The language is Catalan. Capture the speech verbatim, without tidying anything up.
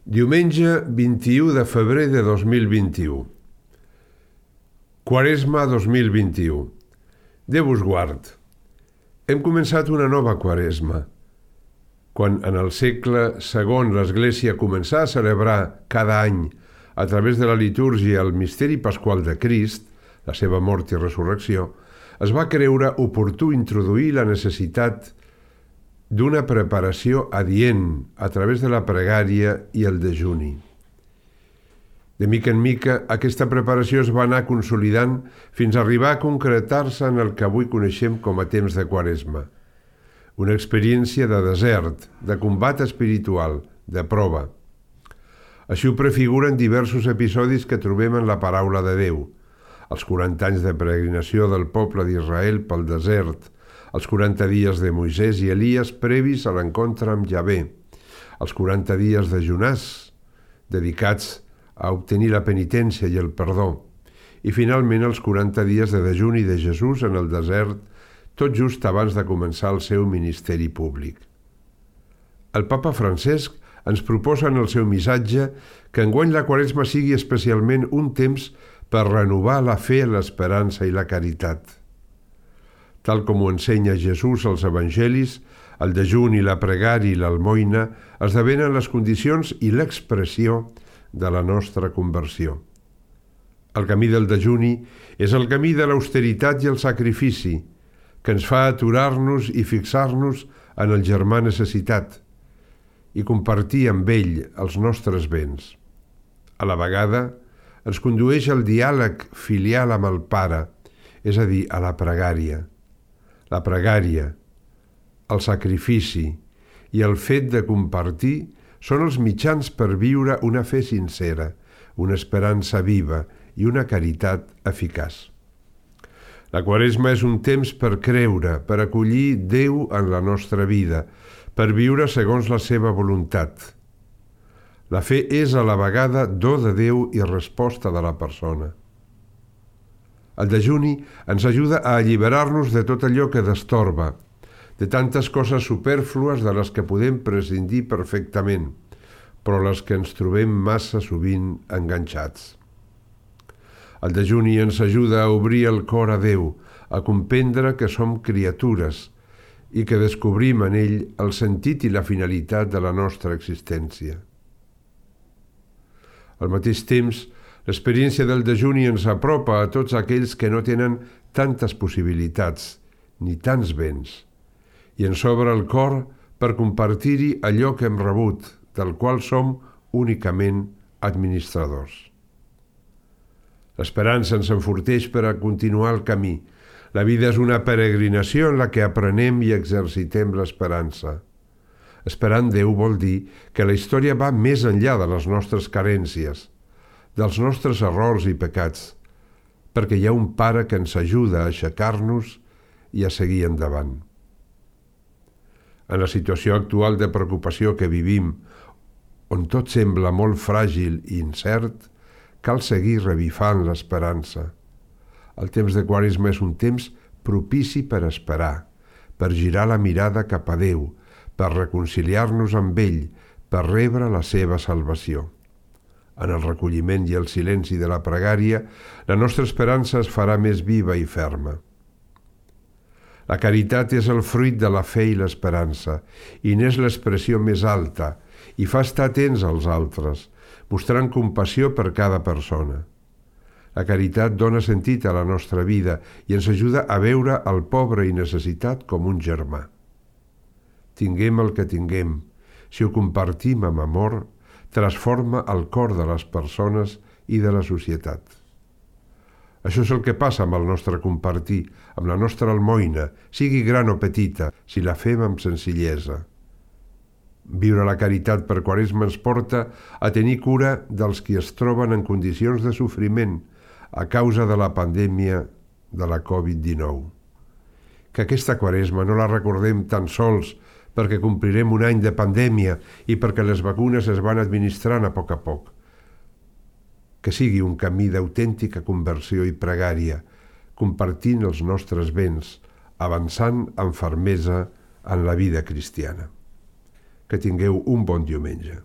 Diumenge vint-i-u de febrer de dos mil vint-i-u. Quaresma dos mil vint-i-u. Déu us guard. Hem començat una nova Quaresma. Quan en el segle segon l'Església començà a celebrar cada any, a través de la litúrgia, el misteri pasqual de Crist, la seva mort i resurrecció, es va creure oportú introduir la necessitat d'una preparació adient a través de la pregària i el dejuni. De mica en mica, aquesta preparació es va anar consolidant fins a arribar a concretar-se en el que avui coneixem com a temps de Quaresma. Una experiència de desert, de combat espiritual, de prova. Així ho prefiguren diversos episodis que trobem en la paraula de Déu. Els quaranta anys de peregrinació del poble d'Israel pel desert, els quaranta dies de Moisès i Elies previs a l'encontre amb Javé, els quaranta dies de Jonàs, dedicats a obtenir la penitència i el perdó, i finalment els quaranta dies de dejuni de Jesús en el desert, tot just abans de començar el seu ministeri públic. El papa Francesc ens proposa en el seu missatge que enguany la Quaresma sigui especialment un temps per renovar la fe, l'esperança i la caritat. Tal com ho ensenya Jesús als evangelis, el dejuni, la pregària i l'almoina esdevenen les condicions i l'expressió de la nostra conversió. El camí del dejuni és el camí de l'austeritat i el sacrifici, que ens fa aturar-nos i fixar-nos en el germà necessitat i compartir amb ell els nostres béns. A la vegada, ens condueix al diàleg filial amb el Pare, és a dir, a la pregària. La pregària, el sacrifici i el fet de compartir són els mitjans per viure una fe sincera, una esperança viva i una caritat eficaç. La Quaresma és un temps per creure, per acollir Déu en la nostra vida, per viure segons la seva voluntat. La fe és a la vegada do de Déu i resposta de la persona. El dejuni ens ajuda a alliberar-nos de tot allò que destorba, de tantes coses supèrflues de les que podem prescindir perfectament, però les que ens trobem massa sovint enganxats. El dejuni ens ajuda a obrir el cor a Déu, a comprendre que som criatures i que descobrim en ell el sentit i la finalitat de la nostra existència. Al mateix temps, l'experiència del dejuni ens apropa a tots aquells que no tenen tantes possibilitats ni tants béns i ens obre el cor per compartir-hi allò que hem rebut, del qual som únicament administradors. L'esperança ens enforteix per a continuar el camí. La vida és una peregrinació en la que aprenem i exercitem l'esperança. Esperar en Déu vol dir que la història va més enllà de les nostres carències, dels nostres errors i pecats, perquè hi ha un Pare que ens ajuda a aixecar-nos i a seguir endavant. En la situació actual de preocupació que vivim, on tot sembla molt fràgil i incert, cal seguir revifant l'esperança. El temps de Quaresma és un temps propici per esperar, per girar la mirada cap a Déu, per reconciliar-nos amb ell, per rebre la seva salvació. En el recolliment i el silenci de la pregària, la nostra esperança es farà més viva i ferma. La caritat és el fruit de la fe i l'esperança, i n'és l'expressió més alta, i fa estar atents als altres, mostrant compassió per cada persona. La caritat dona sentit a la nostra vida i ens ajuda a veure el pobre i necessitat com un germà. Tinguem el que tinguem, si ho compartim amb amor, transforma el cor de les persones i de la societat. Això és el que passa amb el nostre compartir, amb la nostra almoina, sigui gran o petita, si la fem amb senzillesa. Viure la caritat per Quaresma ens porta a tenir cura dels qui es troben en condicions de sofriment a causa de la pandèmia de la covid dinou. Que aquesta Quaresma no la recordem tan sols perquè complirem un any de pandèmia i perquè les vacunes es van administrant a poc a poc. Que sigui un camí d'autèntica conversió i pregària, compartint els nostres béns, avançant amb fermesa en la vida cristiana. Que tingueu un bon diumenge.